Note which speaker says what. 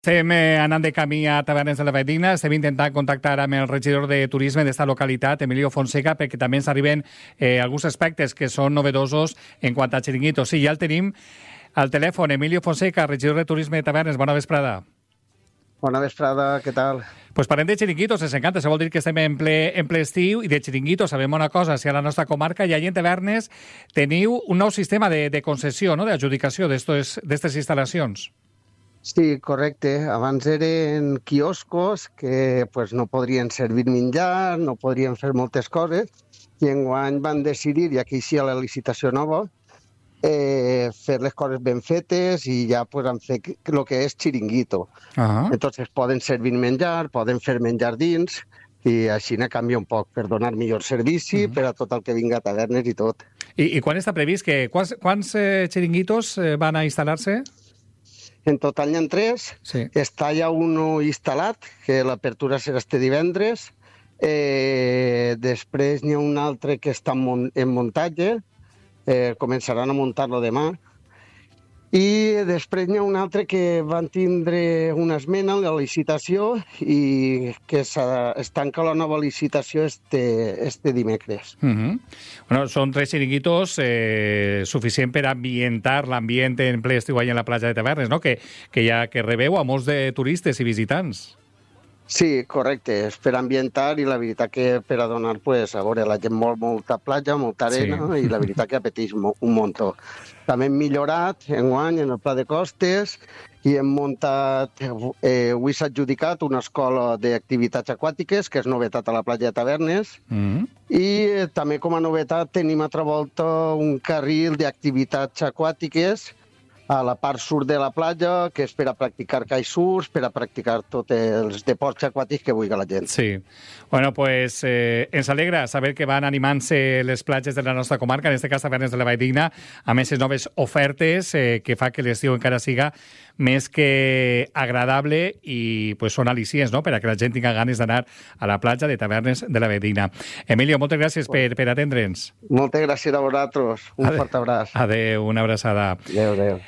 Speaker 1: Estem anant de camí a Tavernes de la Valldigna. Estem intentant contactar amb el regidor de Turisme d'esta localitat, Emilio Fonseca, perquè també ens arriben alguns aspectes que són novedosos en quant a xiringuitos. Sí, ja el tenim al telèfon. Emilio Fonseca, regidor de Turisme de Tavernes. Bona vesprada.
Speaker 2: Bona vesprada, què tal?
Speaker 1: Pues parlem de xiringuitos, ens encanta. Això vol dir que estem en ple estiu i de xiringuitos sabem una cosa. Si a la nostra comarca i allà en Tavernes teniu un nou sistema de concessió, no?, d'adjudicació d'aquestes instal·lacions.
Speaker 2: Sí, correcte. Abans eren quioscos que pues, no podrien servir menjar, no podrien fer moltes coses, i enguany van decidir, i aquí sí a la licitació nova, fer les coses ben fetes i ja pues, han fet el que és xiringuito. Entonces poden servir menjar, poden fer menjar dins, i així ne canvia un poc per donar millor servici per a tot el que vinga a tavernes i tot.
Speaker 1: I quan està previst? Quants xiringuitos van a instal·lar-se?
Speaker 2: En total n'hi ha 3.
Speaker 1: Sí.
Speaker 2: Està ja un instal·lat, que l'apertura serà este divendres. Després n'hi ha un altre que està en muntatge. Començaran a muntar-lo demà. I després n'hi ha un altre que van tindre una esmena en la licitació i que es tanca la nova licitació este dimecres.
Speaker 1: Bueno, són 3 xiringuitos suficient per ambientar l'ambient en ple estiu allà en la platja de Tavernes, no? Que rebeu a molts de turistes i visitants.
Speaker 2: Sí, correcte, és per ambientar i la veritat que per a donar, pues, a veure, la gent molta platja, molta arena, sí. I la veritat que apeteix un muntó. També hem millorat enguany en el pla de costes i hem muntat, avui s'ha adjudicat una escola d'activitats aquàtiques, que és novetat a la platja de Tavernes, i també com a novetat tenim altra volta un carril d'activitats aquàtiques a la part sud de la platja, que és per a practicar kitesurf, per a practicar tots els deports aquàtics que vulgui la gent.
Speaker 1: Sí. Bueno, pues ens alegra saber que van animant-se les platges de la nostra comarca, en aquest cas Tavernes de la Valldigna, amb aquestes noves ofertes que fa que l'estiu encara siga més que agradable i pues, són al·licients, no?, per a que la gent tinga ganes d'anar a la platja de Tavernes de la Valldigna. Emilio, moltes gràcies per atendre'ns.
Speaker 2: Moltes gràcies a vosaltres. Un fort abraç.
Speaker 1: Adéu, una abraçada.
Speaker 2: Adéu.